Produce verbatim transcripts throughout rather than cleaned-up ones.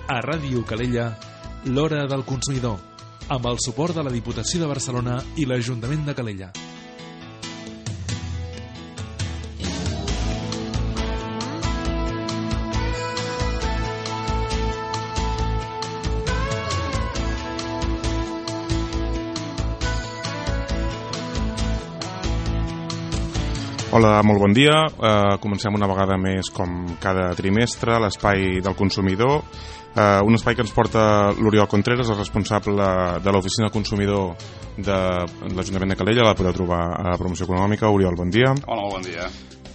A Ràdio Calella, l'Hora del Consumidor, amb el suport de la Diputació de Barcelona i l'Ajuntament de Calella. Hola, molt bon dia. Uh, comencem una vegada més, com cada trimestre, l'Espai del Consumidor. Uh, un espai que ens porta l'Oriol Contreras, el responsable de l'Oficina del Consumidor de l'Ajuntament de Calella. La podeu trobar a la promoció econòmica. Oriol, bon dia. Hola, molt bon dia.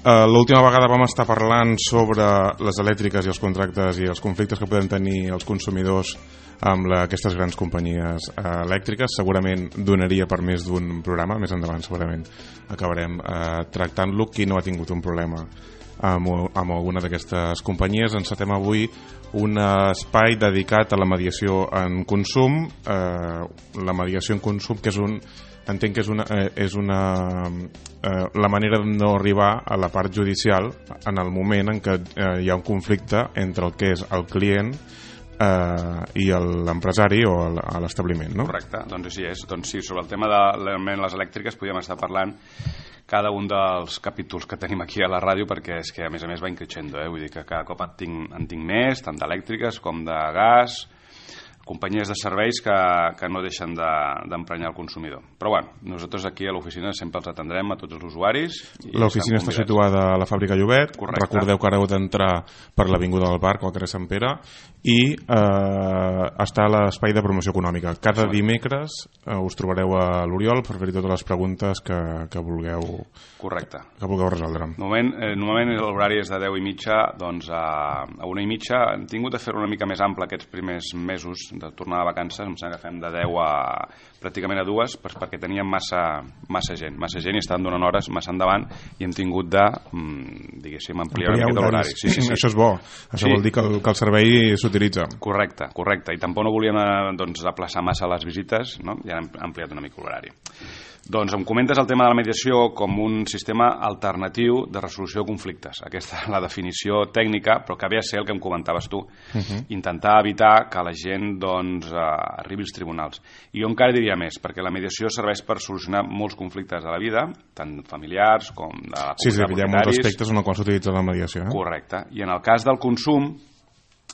Uh, L'última vegada vam estar parlant sobre les elèctriques i els contractes i els conflictes que poden tenir els consumidors amb la, aquestes grans companyies uh, elèctriques. Segurament donaria per més d'un programa. Més endavant segurament acabarem uh, tractant-lo. Qui no ha tingut un problema amb, amb alguna d'aquestes companyies? Encetem avui un espai dedicat a la mediació en consum. Uh, la mediació en consum, que és un entenc que és una, eh, és una eh, la manera de no arribar a la part judicial en el moment en què eh, hi ha un conflicte entre el que és el client eh, i l'empresari o l'establiment, no? Correcte, doncs així és. Doncs sí, sobre el tema de les elèctriques podríem estar parlant cada un dels capítols que tenim aquí a la ràdio, perquè és que a més a més va increixendo, eh? Vull dir que cada cop en tinc, en tinc més, tant d'elèctriques com de gas, companyies de serveis que, que no deixen d'emprenyar de, el consumidor. Però bueno, nosaltres aquí a l'oficina sempre els atendrem a tots els usuaris. L'oficina està situada a la fàbrica Llobet. Correcte. Recordeu que ara heu d'entrar per l'Avinguda del Parc o al carrer Sant Pere i eh, està a l'espai de promoció econòmica. Cada sí. dimecres eh, us trobareu a l'Oriol per fer-hi totes les preguntes que, que vulgueu Correcte. que vulgueu resoldre. Normalment, eh, normalment l'horari és de deu i mitja, doncs a, a una i mitja. Hem tingut de fer-ho una mica més ample aquests primers mesos de tornar de vacances, em sembla que fem de deu a pràcticament a dues, perquè teníem massa, massa gent, massa gent i estaven donant hores massa endavant i hem tingut de, diguéssim, ampliar una mica l'horari. Sí, sí, sí. Això és bo, això sí. vol dir que el, que el servei s'utilitza. Correcte, correcte, i tampoc no volíem doncs, aplaçar massa les visites, no? I hem ampliat una mica l'horari. Doncs em comentes el tema de la mediació com un sistema alternatiu de resolució de conflictes. Aquesta és la definició tècnica, però que ve a ser el que em comentaves tu. Uh-huh. Intentar evitar que la gent doncs, eh, arribi als tribunals. I jo encara diria més, perquè la mediació serveix per solucionar molts conflictes de la vida, tant familiars com de la comunitat. Sí, sí, hi ha molts aspectes en els quals s'utilitza la mediació. Eh? Correcte. I en el cas del consum,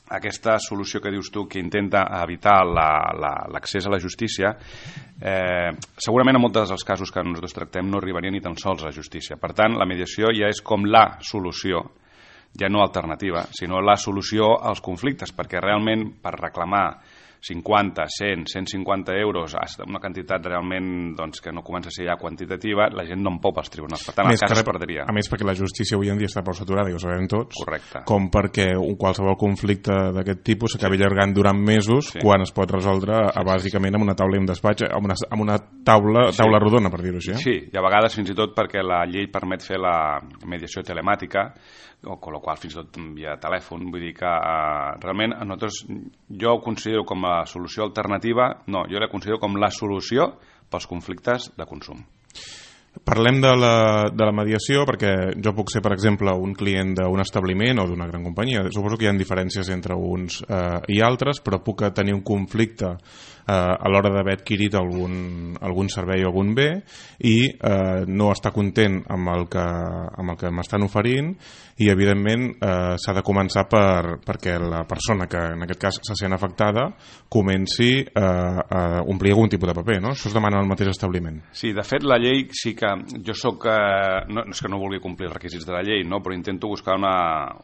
aquesta solució que dius tu que intenta evitar l'accés la, la, a la justícia, eh, segurament en molts dels casos que nosaltres tractem no arribaria ni tan sols a la justícia. Per tant, la mediació ja és com la solució, ja no alternativa, sinó la solució als conflictes, perquè realment per reclamar cinquanta, cent, cent cinquanta euros, una quantitat realment doncs, que no comença a ser ja quantitativa, la gent no en pot als tribunals. Per tant, el cas es perdria. A més, perquè la justícia avui en dia està prou saturada, i ho sabem tots. Correcte. Com perquè un qualsevol conflicte d'aquest tipus s'acabi allargant durant mesos, sí. quan es pot resoldre sí, bàsicament amb una taula i un despatx, amb una, amb una taula, taula sí. rodona, per dir-ho així. Eh? Sí, i a vegades fins i tot perquè la llei permet fer la mediació telemàtica, o amb la qual fins i tot via telèfon, vull dir que uh, realment a nosaltres, jo ho considero com a solució alternativa, no, jo la considero com la solució pels conflictes de consum. Parlem de la, de la mediació perquè jo puc ser, per exemple, un client d'un establiment o d'una gran companyia. Suposo que hi ha diferències entre uns eh, i altres, però puc tenir un conflicte eh, a l'hora d'haver adquirit algun, algun servei o algun bé i eh, no estar content amb el que, amb el que m'estan oferint i, evidentment, eh, s'ha de començar per, perquè la persona que, en aquest cas, se sent afectada comenci eh, a omplir algun tipus de paper, no? Això es demana al mateix establiment. Sí, de fet, la llei sí que jo soc, eh, no, no és que no vulgui complir els requisits de la llei, no? Però intento buscar una,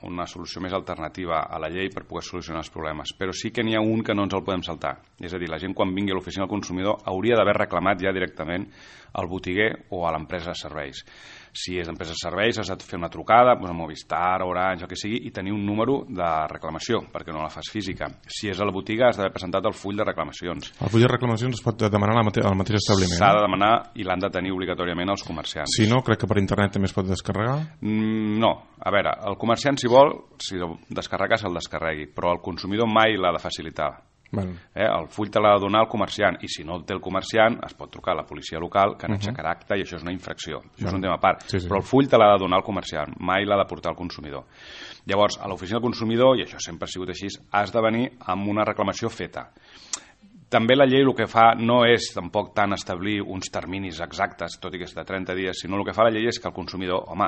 una solució més alternativa a la llei per poder solucionar els problemes, però sí que n'hi ha un que no ens el podem saltar, és a dir, la gent quan vingui a l'oficina del consumidor hauria d'haver reclamat ja directament al botiguer o a l'empresa de serveis. Si és d'empresa de serveis has de fer una trucada, doncs a Movistar, Orange, el que sigui, i tenir un número de reclamació, perquè no la fas física. Si és a la botiga has d'haver presentat el full de reclamacions. El full de reclamacions es pot demanar al mateix establiment? S'ha de demanar i l'han de tenir obligatòriament els comerciants. Si no, crec que per internet també es pot descarregar? Mm, no. A veure, el comerciant, si vol, si descarregar se'l descarregui, però el consumidor mai l'ha de facilitar. Bueno. Eh? El full te l'ha de donar el comerciant, i si no el té el comerciant es pot trucar a la policia local que n'aixecarà uh -huh. acta, i això és una infracció. Això bueno. és un tema a part. Sí, sí. Però el full te l'ha de donar el comerciant, mai l'ha de portar el consumidor. Llavors, a l'oficina del consumidor, i això sempre ha sigut així, has de venir amb una reclamació feta. També la llei el que fa no és tampoc tant establir uns terminis exactes, tot i que és de trenta dies, sinó el que fa la llei és que el consumidor, home,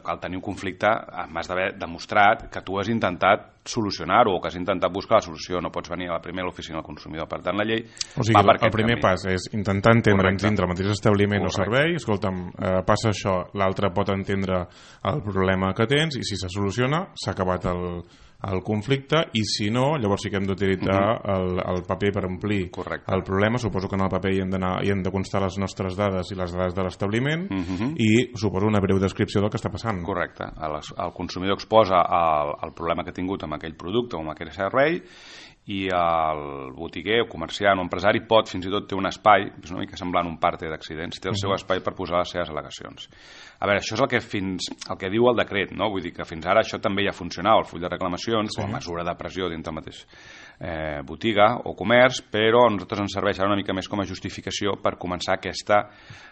al tenir un conflicte m'has d'haver demostrat que tu has intentat solucionar-ho o que has intentat buscar la solució, no pots venir a la primera a l'oficina del consumidor. Per tant, la llei o sigui, va per aquest camí. El primer pas és intentar entendre'ns dintre el mateix establiment Correcte. o servei, escolta'm, eh, passa això, l'altre pot entendre el problema que tens i si se soluciona s'ha acabat el el conflicte, i si no, llavors sí que hem d'utilitzar uh-huh. el, el paper per omplir Correcte. el problema. Suposo que en el paper hi hem, hi hem de constar les nostres dades i les dades de l'establiment uh-huh. i suposo una breu descripció del que està passant. Correcte. El, el consumidor exposa el, el problema que ha tingut amb aquell producte o amb aquell servei, i el botiguer o comerciant o empresari pot, fins i tot té un espai, és una mica semblant un parte d'accidents, té el uh-huh. seu espai per posar les seves al·legacions. A veure, això és el que fins el que diu el decret, no? Vull dir que fins ara això també ja funcionava, el full de reclamacions, sí. o la mesura de pressió dintre el mateix eh, botiga o comerç, però a nosaltres ens serveix ara una mica més com a justificació per començar aquesta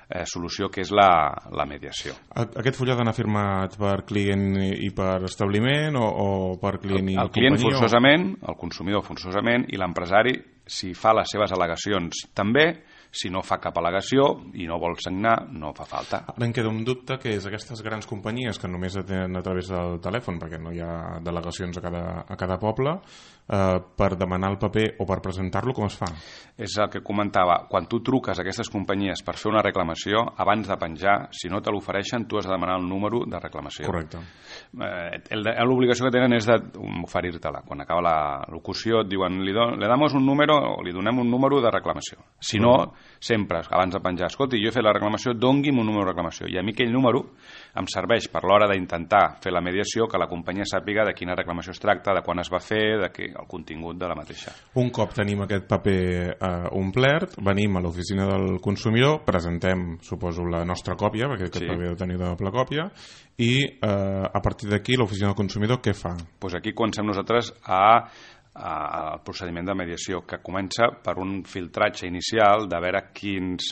eh, solució que és la, la mediació. Aquest full ha d'anar firmat per client i per establiment o, o per client i el, el client forçosament, el consumidor forçosament, i l'empresari, si fa les seves al·legacions també. Si no fa cap al·legació i no vol signar, no fa falta. Ara em queda un dubte, que és aquestes grans companyies que només atenen a través del telèfon, perquè no hi ha delegacions a cada, a cada poble, eh, per demanar el paper o per presentar-lo, com es fa? És el que comentava. Quan tu truques a aquestes companyies per fer una reclamació, abans de penjar, si no te l'ofereixen, tu has de demanar el número de reclamació. Correcte. Eh, l'obligació que tenen és d'oferir-te-la. Quan acaba la locució et diuen, li, do, le damos un número o li donem un número de reclamació. Si no, mm. sempre, abans de penjar, escolti, jo he fet la reclamació, dongui'm un número de reclamació. I a mi aquell número em serveix per l'hora d'intentar fer la mediació, que la companyia sàpiga de quina reclamació es tracta, de quan es va fer, de què, el contingut de la mateixa. Un cop tenim aquest paper eh, omplert, venim a l'oficina del consumidor, presentem, suposo, la nostra còpia, perquè aquest sí. paper ha de tenir de doble còpia, i eh, a partir d'aquí l'oficina del consumidor què fa? Pues aquí comencem nosaltres a al procediment de mediació, que comença per un filtratge inicial de veure quins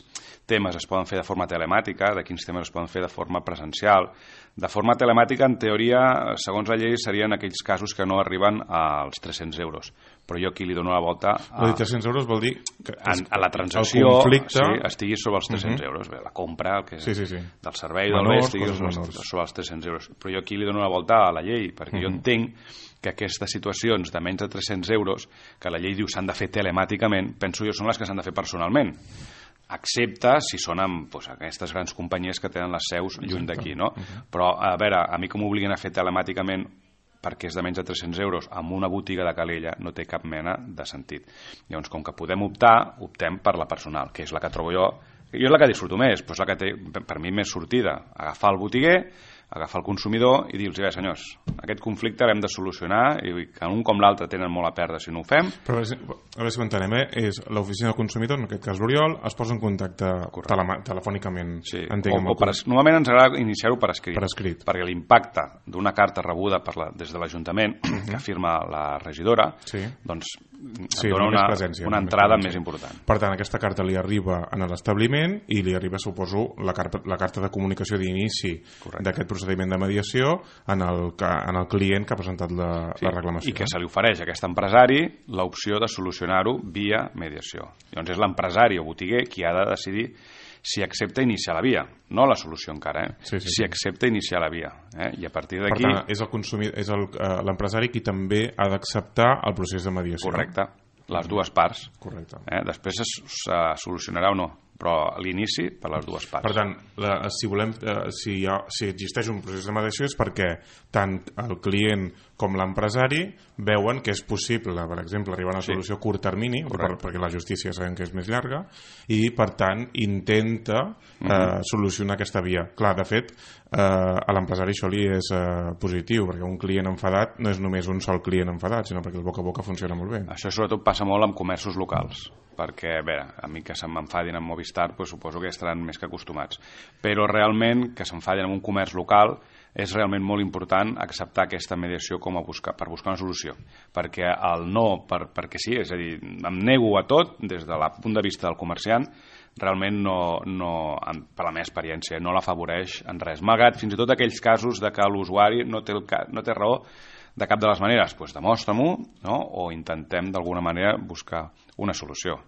temes es poden fer de forma telemàtica, de quins temes es poden fer de forma presencial. De forma telemàtica, en teoria, segons la llei, serien aquells casos que no arriben als tres-cents euros. Però jo aquí li dono la volta a... Els tres-cents euros vol dir que a, a la transacció conflicte... sí, estigui sobre els tres-cents uh-huh. euros. Bé, la compra el que sí, sí, sí. del servei del bé estigui sobre, sobre els tres-cents euros. Però jo aquí li dono la volta a la llei, perquè uh-huh. jo entenc que aquestes situacions de menys de tres-cents euros, que la llei diu s'han de fer telemàticament, penso jo són les que s'han de fer personalment, excepte si són amb doncs, aquestes grans companyies que tenen les seus lluny d'aquí, no? Uh-huh. Però, a veure, a mi que m'obliguen a fer telemàticament perquè és de menys de tres-cents euros amb una botiga de Calella no té cap mena de sentit. Llavors, com que podem optar, optem per la personal, que és la que trobo jo, jo és la que disfruto més, però és la que té per mi més sortida, agafar el botiguer, agafar el consumidor i dir-los, bé, senyors, aquest conflicte l'hem de solucionar i que un com l'altre tenen molt a perdre si no ho fem. Però a veure si ho entenem, eh? És l'oficina del consumidor, en aquest cas l'Oriol, es posa en contacte tele telefònicament. Sí, o, o per, normalment ens agrada iniciar-ho per escrit, per escrit, perquè l'impacte d'una carta rebuda per la, des de l'Ajuntament, uh-huh. que firma la regidora, sí. doncs sí, dona una, presència, una entrada més, més important. Per tant, aquesta carta li arriba a l'establiment i li arriba, suposo, la carta, la carta de comunicació d'inici d'aquest procediment de mediació en el, en el client que ha presentat la, sí, la reclamació. I que se li ofereix a aquest empresari l'opció de solucionar-ho via mediació. Llavors és l'empresari o botiguer qui ha de decidir si accepta iniciar la via, no la solució encara, eh? Sí, sí, si sí. accepta iniciar la via. Eh? I a partir d'aquí... Per tant, és el és l'empresari qui també ha d'acceptar el procés de mediació. Correcte, les dues parts. Correcte. Eh? Després es, se solucionarà o no, però l'inici per les dues parts. Per tant, la, si, volem, eh, si, hi ha, si existeix un procés de mediació és perquè tant el client com l'empresari veuen que és possible, per exemple, arribar a una solució sí. a curt termini, per, perquè la justícia sabem que és més llarga, i per tant intenta eh, uh-huh. solucionar aquesta via. Clar, de fet, eh, a l'empresari això li és eh, positiu, perquè un client enfadat no és només un sol client enfadat, sinó perquè el boca a boca funciona molt bé. Això sobretot passa molt amb comerços locals, perquè, a veure, a mi que se m'enfadin amb Movistar, pues, suposo que estaran més que acostumats. Però realment que s'enfadin amb un comerç local és realment molt important acceptar aquesta mediació com a buscar, per buscar una solució, perquè el no, per, perquè sí, és a dir, em nego a tot des del punt de vista del comerciant, realment no, no, per la meva experiència, no l'afavoreix en res. Malgrat fins i tot aquells casos de que l'usuari no té, el, no té raó de cap de les maneres, doncs demostra-m'ho, no? O intentem d'alguna manera buscar una solució.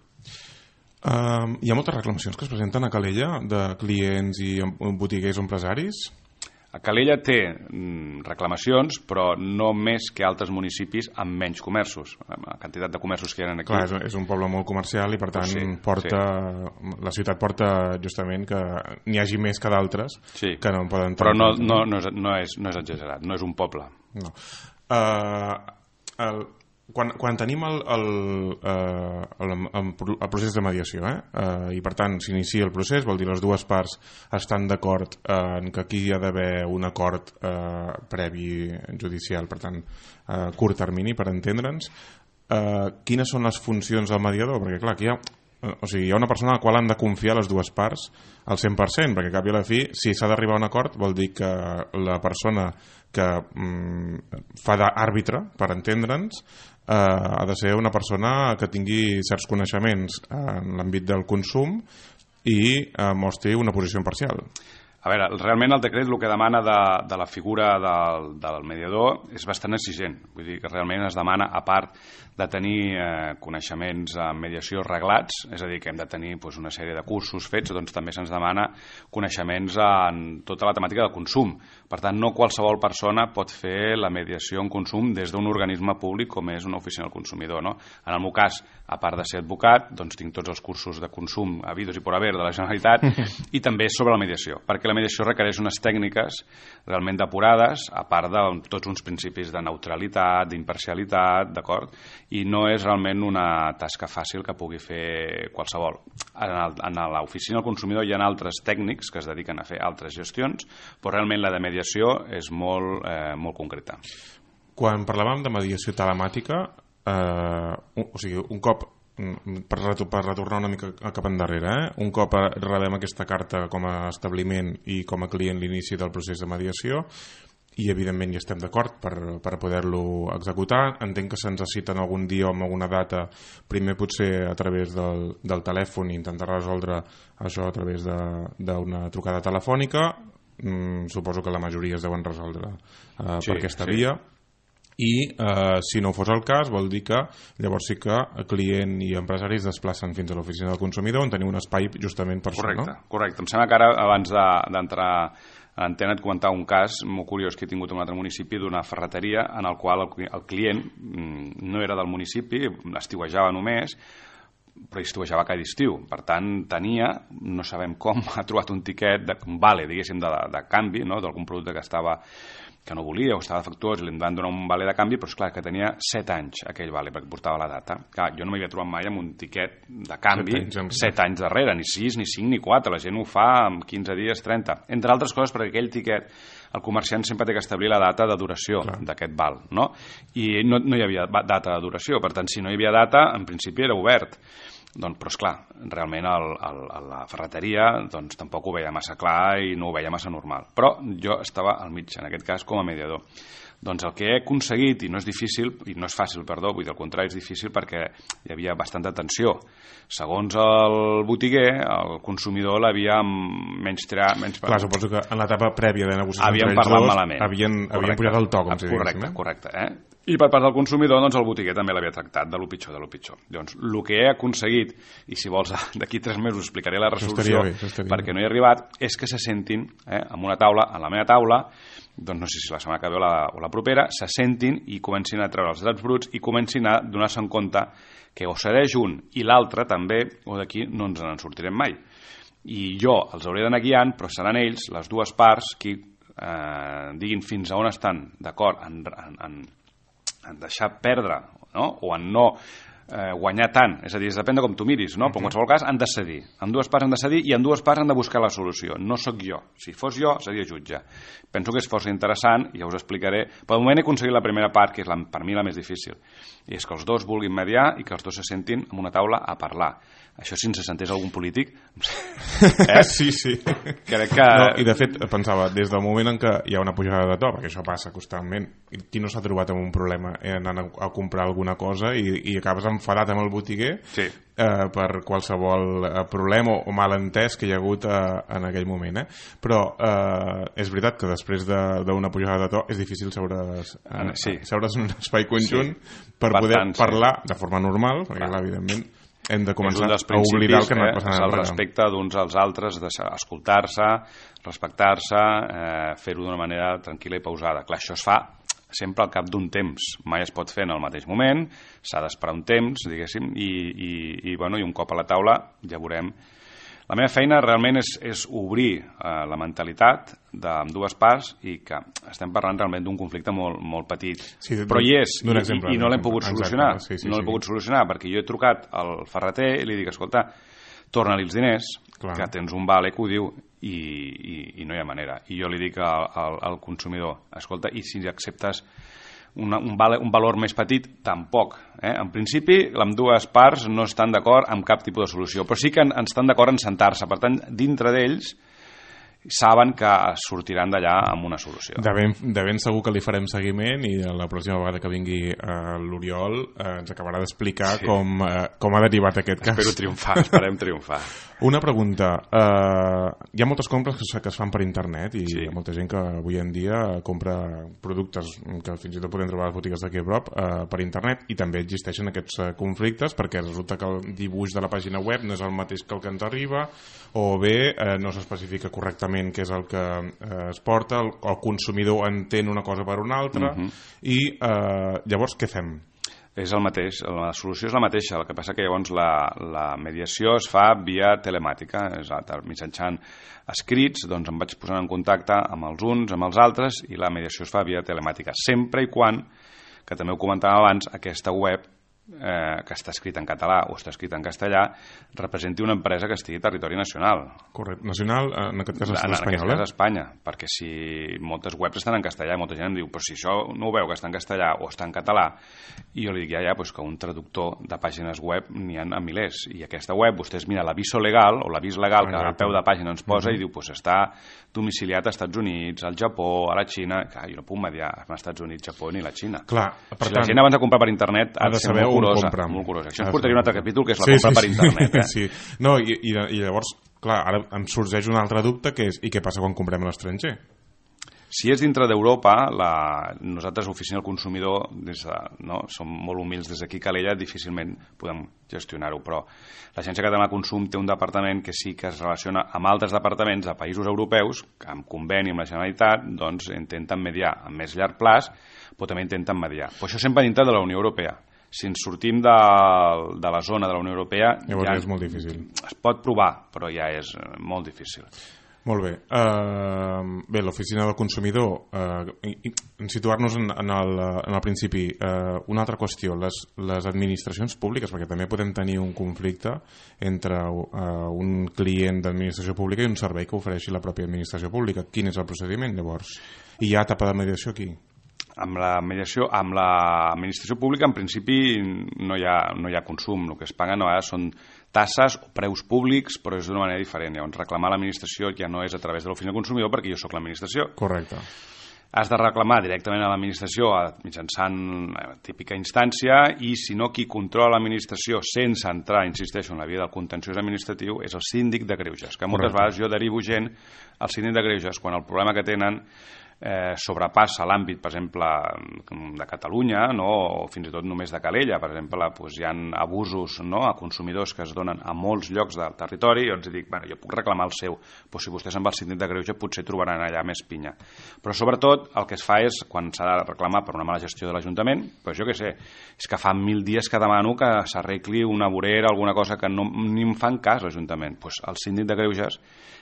Uh, hi ha moltes reclamacions que es presenten a Calella de clients i botiguers o empresaris? A Calella té mm, reclamacions, però no més que altres municipis amb menys comerços. La quantitat de comerços que hi ha aquí... Clar, és, és un poble molt comercial i per tant sí, porta, sí. la ciutat porta justament que n'hi hagi més que d'altres sí. que no en poden... Però no, no, no, és, no, és, no és exagerat, no és un poble. No. Uh, el, quan, quan tenim el, el, uh, el, el, el procés de mediació eh? uh, i per tant s'inicia el procés, vol dir les dues parts estan d'acord uh, en que aquí hi ha d'haver un acord uh, previ judicial, per tant uh, curt termini per entendre'ns, uh, quines són les funcions del mediador? Perquè clar, aquí hi ha o sigui, hi ha una persona a la qual han de confiar les dues parts al cent per cent, perquè al cap i a la fi, si s'ha d'arribar a un acord, vol dir que la persona que mm, fa d'àrbitre, per entendre'ns, eh, ha de ser una persona que tingui certs coneixements en l'àmbit del consum i eh, mostri una posició imparcial. A veure, realment el decret el que demana de, de la figura del, del mediador és bastant exigent. Vull dir que realment es demana, a part de tenir eh, coneixements en mediació reglats, és a dir, que hem de tenir doncs, una sèrie de cursos fets, doncs també se'ns demana coneixements en tota la temàtica del consum. Per tant, no qualsevol persona pot fer la mediació en consum des d'un organisme públic com és una oficina del consumidor. No? En el meu cas, a part de ser advocat, doncs tinc tots els cursos de consum habidos i por haver de la Generalitat i també sobre la mediació, perquè la mediació requereix unes tècniques realment depurades, a part de tots uns principis de neutralitat, d'imparcialitat, d'acord? I no és realment una tasca fàcil que pugui fer qualsevol. En l'oficina del consumidor hi ha altres tècnics que es dediquen a fer altres gestions, però realment la de mediació és molt, eh, molt concreta. Quan parlàvem de mediació telemàtica, eh, o sigui, un cop per, per retornar una mica cap endarrere, eh? un cop rebem aquesta carta com a establiment i com a client l'inici del procés de mediació i evidentment hi estem d'acord per, per poder-lo executar, entenc que se'ns citen algun dia o amb alguna data, primer potser a través del, del telèfon i intentar resoldre això a través d'una trucada telefònica, mm, suposo que la majoria es deuen resoldre eh, sí, per aquesta sí. via. I eh, si no fos el cas vol dir que llavors sí que el client i empresaris es desplacen fins a l'oficina del consumidor on tenim un espai justament per correcte, això, no? Correcte, em sembla que ara abans d'entrar a l'antena et comentava un cas molt curiós que he tingut en un altre municipi d'una ferreteria en el qual el, el client no era del municipi, estiuejava només, però estiuejava cada estiu, per tant tenia, no sabem com, ha trobat un tiquet, de, un vale, diguéssim, de, de canvi, no? d'algun producte que estava que no volia o estava defectuós i li van donar un vale de canvi, però és clar que tenia set anys aquell vale perquè portava la data. Clar, jo no m'havia trobat mai amb un tiquet de canvi set anys, set anys darrere, ni sis, ni cinc, ni quatre, la gent ho fa en quinze dies, trenta. Entre altres coses perquè aquell tiquet el comerciant sempre té que establir la data de duració d'aquest val, no? I no, no hi havia data de duració, per tant, si no hi havia data, en principi era obert. Doncs, però esclar, realment el, el, la ferreteria doncs, tampoc ho veia massa clar i no ho veia massa normal. Però jo estava al mig, en aquest cas, com a mediador. Doncs el que he aconseguit, i no és difícil, i no és fàcil, perdó, vull dir, al contrari, és difícil perquè hi havia bastanta tensió. Segons el botiguer, el consumidor l'havia menys triat... Menys... Clar, suposo que en l'etapa prèvia de negociació havien entre ells dos malament. Havien, havien pujat el to, com si correcte, diguéssim. Eh? Correcte, eh? I per part del consumidor, doncs el botiguer també l'havia tractat de lo pitjor, de lo pitjor. Doncs el que he aconseguit, i si vols d'aquí tres mesos explicaré la resolució bé, perquè no hi he arribat, és que se sentin eh, en una taula, en la meva taula, doncs no sé si la setmana que ve o la, o la propera, se sentin i comencin a treure els drets bruts i comencin a donar-se en compte que o cedeix un i l'altre també, o d'aquí no ens en sortirem mai. I jo els hauré d'anar guiant, però seran ells, les dues parts, qui eh, diguin fins a on estan d'acord en, en, en en deixar perdre, no? O en no eh, guanyar tant, és a dir, depèn de com tu miris, no? Però en qualsevol cas han de cedir, en dues parts han de cedir i en dues parts han de buscar la solució. No sóc jo, si fos jo seria jutge. Penso que és força interessant i ja us explicaré. Per moment he aconseguit la primera part, que és la, per mi la més difícil, i és que els dos vulguin mediar i que els dos se sentin en una taula a parlar. Això si ens sentés algun polític eh? sí, sí crec que... no, i de fet pensava, des del moment en què hi ha una pujada de to, perquè això passa constantment, qui no s'ha trobat amb un problema anant a comprar alguna cosa i, i acabes enfadat amb el botiguer sí. eh, per qualsevol problema o malentès que hi ha hagut eh, en aquell moment, eh? Però eh, és veritat que després d'una de, pujada de to és difícil seure's, eh, sí. seure's en un espai conjunt sí. per Bastant, poder parlar sí. de forma normal, perquè clar, evidentment hem de començar a oblidar el que no eh, passant és el respecte d'uns als altres, escoltar-se, respectar-se, eh, fer-ho d'una manera tranquil·la i pausada. Clar, això es fa sempre al cap d'un temps, mai es pot fer en el mateix moment, s'ha d'esperar un temps, diguéssim, i, i, i, bueno, i un cop a la taula ja veurem. La meva feina realment és, és obrir eh, la mentalitat d'ambdues parts i que estem parlant realment d'un conflicte molt, molt petit. Sí, però hi és, i, exemple, i, i no l'hem pogut solucionar. Exacte, sí, sí, no l'hem sí. pogut solucionar perquè jo he trucat al ferreter i li dic, escolta, torna-li els diners, Clar. que tens un vale que ho diu, i, i, i no hi ha manera. I jo li dic al, al, al consumidor, escolta, i si acceptes Una, un, val, un valor més petit, tampoc. Eh? En principi, amb dues parts no estan d'acord amb cap tipus de solució, però sí que en, estan d'acord en sentar-se. Per tant, dintre d'ells saben que sortiran d'allà amb una solució. De ben, de ben segur que li farem seguiment i la pròxima vegada que vingui uh, l'Oriol uh, ens acabarà d'explicar sí. com, uh, com ha derivat aquest cas. Espero triomfar, esperem triomfar. Una pregunta. Uh, hi ha moltes compres que, que es fan per internet i sí. hi ha molta gent que avui en dia compra productes que fins i tot podem trobar a les botigues d'aquí a prop uh, per internet i també existeixen aquests uh, conflictes perquè resulta que el dibuix de la pàgina web no és el mateix que el que ens arriba o bé uh, no s'especifica correctament què és el que eh, es porta, el, el consumidor entén una cosa per una altra uh-huh. i eh, llavors què fem? És el mateix, la solució és la mateixa, el que passa que llavors la, la mediació es fa via telemàtica, és a, mitjançant escrits, doncs em vaig posant en contacte amb els uns, amb els altres i la mediació es fa via telemàtica, sempre i quan, que també ho comentàvem abans, aquesta web Eh, que està escrit en català o està escrit en castellà representi una empresa que estigui a territori nacional. Correcte. Nacional, en aquest cas l'estat espanyol. En aquest cas Espanya, perquè si moltes webs estan en castellà i molta gent em diu, però si això no ho veu que està en castellà o està en català, i jo li dic, ja, ja, doncs que un traductor de pàgines web n'hi ha a milers, i aquesta web, vostès mira l'aviso legal o l'avís legal que al peu de pàgina ens posa uh-huh. i diu, doncs està domiciliat als Estats Units, al Japó, a la Xina. Clar, jo no puc mediar als Estats Units, Japó ni la Xina. Clar, per si tant, la gent abans de comprar per internet ha de saber curosa, molt curosa. Això ens portaria un altre capítol, que és la sí, compra sí, per internet. Eh? Sí. No, i, i, i llavors, clar, ara em sorgeix un altre dubte, que és, i què passa quan comprem a l'estranger? Si és dintre d'Europa, la... nosaltres, Oficina del Consumidor, des de... no? som molt humils des d'aquí, Calella, difícilment podem gestionar-ho, però l'Agència Catalana de Consum té un departament que sí que es relaciona amb altres departaments de països europeus, que amb conveni amb la Generalitat, doncs intenten mediar a més llarg plaç, però també intenten mediar. Però això sempre dintre de la Unió Europea. Si ens sortim de, de la zona de la Unió Europea llavors ja és molt difícil. Es pot provar, però ja és molt difícil. Molt bé. Uh, bé, l'Oficina del Consumidor, uh, en situar-nos en, en, el, en el principi, uh, una altra qüestió, les, les administracions públiques, perquè també podem tenir un conflicte entre uh, un client d'administració pública i un servei que ofereixi la pròpia administració pública. Quin és el procediment, llavors? I hi ha etapa de mediació aquí? Amb la mediació, amb l'administració pública, en principi no hi ha, no hi ha consum. El que es paguen a vegades són tasses o preus públics, però és d'una manera diferent. Llavors, reclamar l'administració ja no és a través de l'Oficina del Consumidor, perquè jo sóc l'administració. Correcte. Has de reclamar directament a l'administració mitjançant la típica instància i, si no, qui controla l'administració sense entrar, insisteixo, en la via del contenciós administratiu és el síndic de greuges, que moltes Correcte. Vegades jo derivo gent al síndic de greuges quan el problema que tenen Eh, sobrepassa l'àmbit, per exemple, de Catalunya, no? O fins i tot només de Calella. Per exemple, doncs, hi ha abusos, no? A consumidors que es donen a molts llocs del territori i els dic, bueno, jo puc reclamar el seu, però si vostès amb el síndic de greuge potser trobaran allà més pinya. Però sobretot el que es fa és, quan s'ha de reclamar per una mala gestió de l'Ajuntament, doncs jo què sé, és que fa mil dies que demano que s'arregli una vorera, alguna cosa que no, ni em fan cas l'Ajuntament. Doncs el síndic de greuges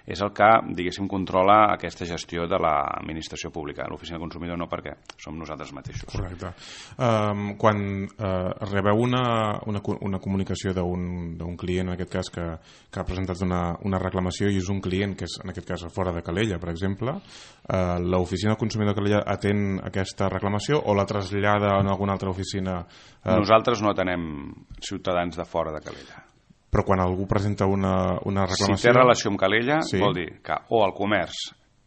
és el que, diguéssim, controla aquesta gestió de l'administració l'administració pública. L'oficina del consumidor no, perquè som nosaltres mateixos. Correcte. Um, quan uh, rebeu una, una, una comunicació d'un client, en aquest cas, que, que ha presentat una, una reclamació i és un client que és, en aquest cas, fora de Calella, per exemple, uh, l'oficina del consumidor de Calella atén aquesta reclamació o la trasllada en alguna altra oficina? Uh... Nosaltres no atenem ciutadans de fora de Calella. Però quan algú presenta una, una reclamació... Si té relació amb Calella, sí. Vol dir que o el comerç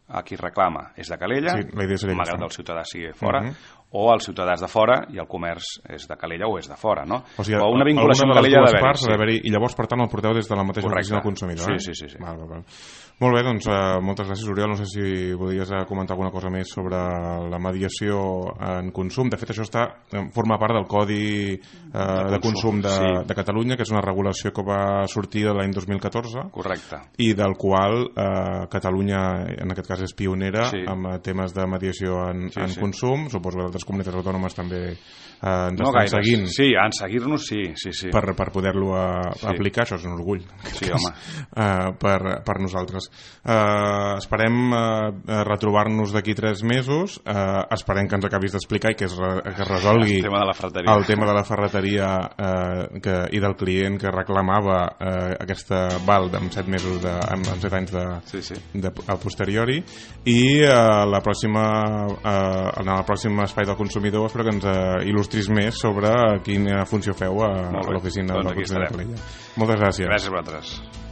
a qui reclama és de Calella, sí, malgrat el ciutadà sigui fora, uh -huh. o el ciutadà és de fora i el comerç és de Calella o és de fora, no? O sigui, o una vinculació amb Calella ha d'haver-hi. Sí. I llavors, per tant, el porteu des de la mateixa oficina del consumidor. Sí, eh? sí, sí. sí. Val, val, val. Molt bé, doncs uh, moltes gràcies, Oriol. No sé si podries comentar alguna cosa més sobre la mediació en consum. De fet, això està forma part del Codi uh, de, de consum, consum de, sí. de Catalunya, que és una regulació que va sortir l'any dos mil catorze. Correcte. I del qual uh, Catalunya, en aquest cas, és pionera sí. amb temes de mediació en, sí, en sí. consum. Suposo que altres comunitats autònomes també eh, ens no estan seguint. Sí, en seguir-nos sí, sí, sí. Per, per poder-lo a, sí. aplicar, això és un orgull. Sí, home. Uh, per, per nosaltres. Uh, esperem uh, retrobar-nos d'aquí tres mesos. Uh, esperem que ens acabis d'explicar i que es, que es resolgui el tema de la ferreteria, el tema de la ferreteria uh, que, i del client que reclamava uh, aquesta val amb set mesos de, amb, amb set anys de, sí, sí. de, a posteriori i uh, la pròxima uh, en el pròxim espai del consumidor espero que ens uh, il·lustris més sobre quina funció feu a, a l'oficina doncs del consumidor de Calella. Moltes gràcies. Gràcies a vosaltres.